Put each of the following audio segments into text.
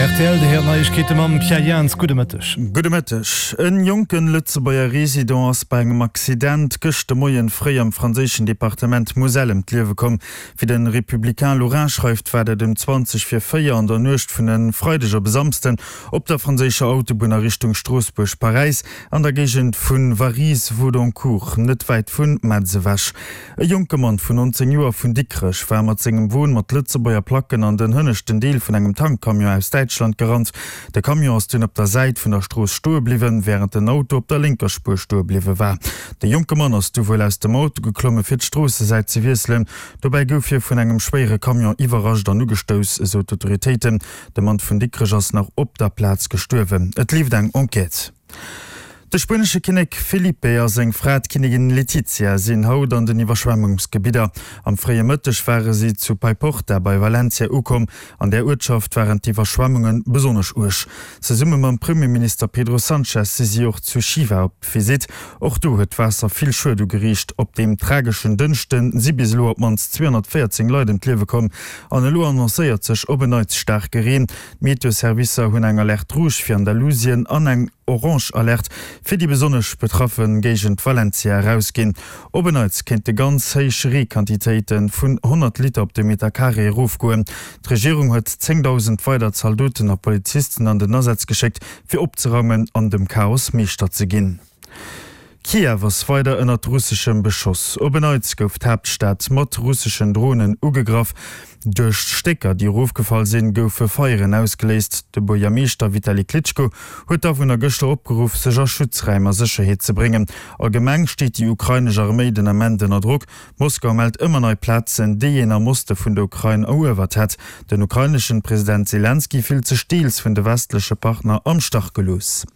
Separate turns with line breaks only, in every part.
Rtl, Dir héiert Neiegkeete mam Pierre Jans. Gudde Mëtteg.
Gudde Mëtteg. En jonken Lëtzebuerger Resident ass bei engem Accident gëscht de Moien fréi am franséischen Departement Moselle ëm d'Liewe komm. Wéi de Républicain Lorrain schreift, war dat ëm 20 vir 4 an der Nuecht vun e Freideg op e Samsden op der franséischer Autobunn a Richtung Stroossbuerg-Paräis an der Géigend vu Varilhes-Vaudoncourt, net wäit vu Metz ewech. E jonke Mann vun 19 Joer vun Dikrech war mat sengem Won mat Lëtzebuerger Placken an den hënneschten Deel vun engem Tankcamion aus Däitschland gerannt. De Camion ass dunn op der Säit vun der Strooss stoe bliwwen, wärend den Auto op der lénker Spuer stoe bliwwe war. De jonke Mann ass du wuel aus dem Auto geklomme fir d'Stroossesäit ze wiesselen. Dobäi gouf hie vun engem schwéiere Camion iwwerrascht an ugestouss, esou d'Autoritéiten. De Mann vun Dikrech ass nach op der Plaz gestuerwen. Et leeft eng Enquête. De spuenesche Kinnek Felipe a seng Fra, d'Kinnigin Letizia, sinn haut an den Iwwerschwemmungsgebidder. Am fréie Mëtteg ware si zu Paiporta bei Valencia ukomm. An där Uertschaft waren d'Iwwerschwemmunge besonnesch uerg. Zesumme mam Premierminister Pedro Sanchez si si och zu Chiva op Visitt. Och do huet d'Waasser vill Schued ugeriicht. Op deem trageschen Dënschde si bis elo op d'mannst 214 Leit ëm d'Liewe komm. An elo annoncéiert sech op en Neits staarke Reen. D'Meteoservicer hunn eng Alerte rouge fir Andalusien an eng. Orange Alerte fir déi besonnesch betraffe Géigend Valencia erausginn. Op en Neits kéinte ganz héich Reequantitéite vun 100 Liter op de Meter Carré erofgoen. D'Regierung huet 10.000 weider Zaldoten a Polizisten an den Asaz geschéckt, fir opzeraumen an dem Chaos Meeschter ze ginn. Kiew ass weider ënnert russeschem Beschoss. Op en Neits gouf d'Haaptstad mat russeschen Dronen ugegraff. Duerch d'Stécker, déi erofgefall sinn, goufe Feieren ausgeléist. De Buergermeeschter Vitali Klitschko huet d'Awunner gëschter opgeruff, sech a Schutzräim a Sécherheet ze bréngen. Allgemeng steet déi ukrainesch Arméi den Ament ënner Drock. Moskau mellt ëmmer nei Plazen, déi een am Oste vun der Ukrain eruewert hätt. Den ukraineschen President Selenskyj fillt sech deels vun de westleche Partner am Stach gelooss.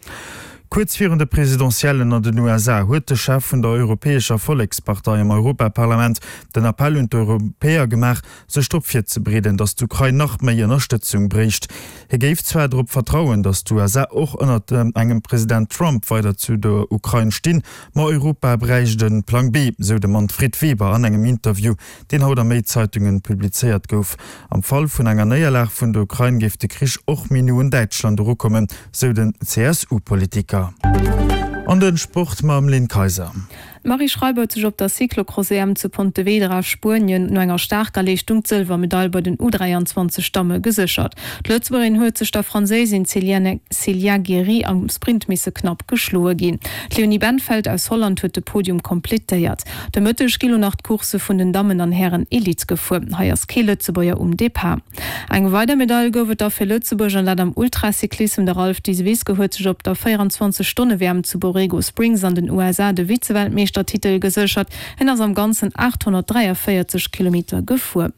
Kuerz virun de Presidentiellen an den USA huet de Chef vun der Europäescher Vollekspartei am Europaparlament den Appell un d'Europäer gemaach, sech drop virzebereeden, datt d'Ukrain nach méi Ënnerstëtzung bréicht. Hie géif zwar drop vertrauen, datt d'USA och ënnert engem President Trump weider zu der Ukrain stinn, ma Europa bräicht e Plang B, sou de Manfred Weber an engem Interview, deen haut a méi Zeitunge publizéiert gouf. Am Fall vun enger Néierlag vun der Ukrain géif de Krich och méi no un Däitschland erukommen, sou den CSU-Politiker. An de Sport mam Lynn Kayser.
D'Marie Schreiber huet sech op der Cyclocross-EM zu Pontevedra, Spuenien, no enger staarker Leeschtung d'Sëlwermedail bei den U23 Damme geséchert. D'Lëtzebuergerin huet sech der Franséisin Célia Gery am Sprint misse knapp geschloe ginn. D'Leonie Bentveld aus Holland huet de Podium kompletéiert. De Mëtteg gi lo nach d'Coursse vun den Dammen an Hären Elite gefuer. Hei ass kee Lëtzebuerger um Depart. Eng weider Medail gouf et da fir Lëtzebuerg an dat am Ultracyclissem. De Ralph Disevisque huet sech op der 24 Stonne WM zu Borrego Springs an den USA de Vize-Weltmeeschtertitel geséchert. Hien ass am Ganzen 843 Kilometer gefuer.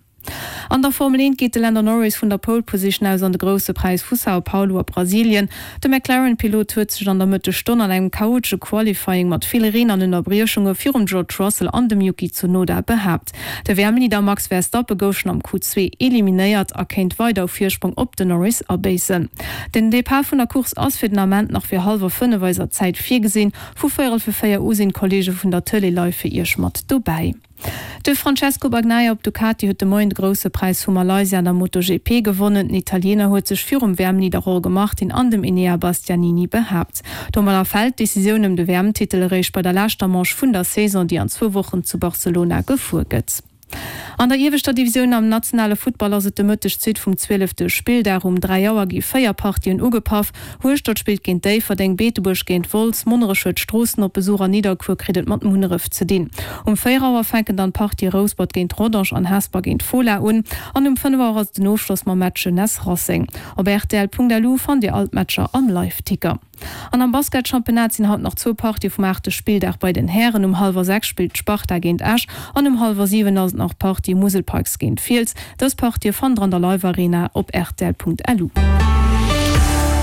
An der Formel 1 geet de Lando Norris vun der Pole Position aus an de Grousse Präis vu Sao Paulo a Brasilien. De McLaren-Pilot huet sech an der Mëttesstonn an engem chaotesche Qualifying mat vill Reen an Ënnerbriechunge virum George Russell an dem Yuki Tsunoda behaapt. De WM-Leader Max Verstappen gouf schonn am Q2 eliminéiert a kéint weider u Virsprong op den Norris abéissen. Den Depart vun der Course ass fir den Ament nach fir hallwer 5 eiser Zäit virgesinn. Vu véierel fir 4 u sinn d'Kolleege vun der Tëlee live fir Iech mat dobäi. De Francesco Bagnaia op Ducati huet de Moien de Grousse Präis vu Malaysia an der MotoGP gewonnen. Den Italiener huet sech virum WM-Leader Jorge Martin an dem Enea Bastianini behaapt. Domadder fält d'Decisioun ëm de WM-Titel eréischt bei der leschter Manche vun der Saison, déi an zwou Wochen zu Barcelona gefuer gëtt. An der ieweschter Divisioun am nationale Futtball ass et de Mëtteg d'Suite vum zwielefte Spilldag. Um 3 Auer gi 4 Partien ugepaff. Hueschtert spillt géint Déifferdeng, Beetebuerg géint Wolz, Monnerech huet Stroossen op Besuch an Nidderkuer kritt et mat Munneref ze dinn. Um 4 Auer fänken dann d'Partië Rouspert géint Rodange an Hesper géint Fola un an um 5 Auer ass et den Ofschloss mam Match Jeunesse Racing. Op rtl.lu fannt Dir all d'Matcher am Live-Ticker. An am Basketchampionnat sinn haut nach zwou Partië vum aachte Spilldag bei den Hären. Um hallwer 6 spillt d'Sparta géint Esch an um hallwer 7 ass et nach d'Partie Musel Pikes géint Fiels. Dës Partië fannt der an der Live Arena op rtl.lu.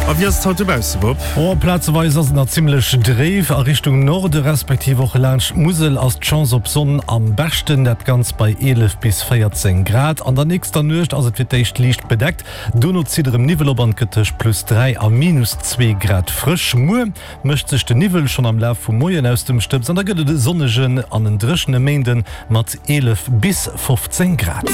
A wéi ass et haut dobausse, Bob?
Oh, plazeweis ass et nach zimmlech dréif. A Richtung Norde respektiv och laanscht d'Musel ass d'Chance op Sonn am beschten, dat Ganzt bei 11 bis 14 Grad. An der nächster Nuecht ass et fir d'éischt liicht bedeckt, Dono zitt erëm Niwwel op an et gëtt tëscht plus 3 a minus 2 Grad frësch. Muer mécht sech de Niwwel schonn am Laf vum Moien aus dem Stëbs an da gëtt et e sonnegen an en dréchene Méinden mat 11 bis 15 Grad.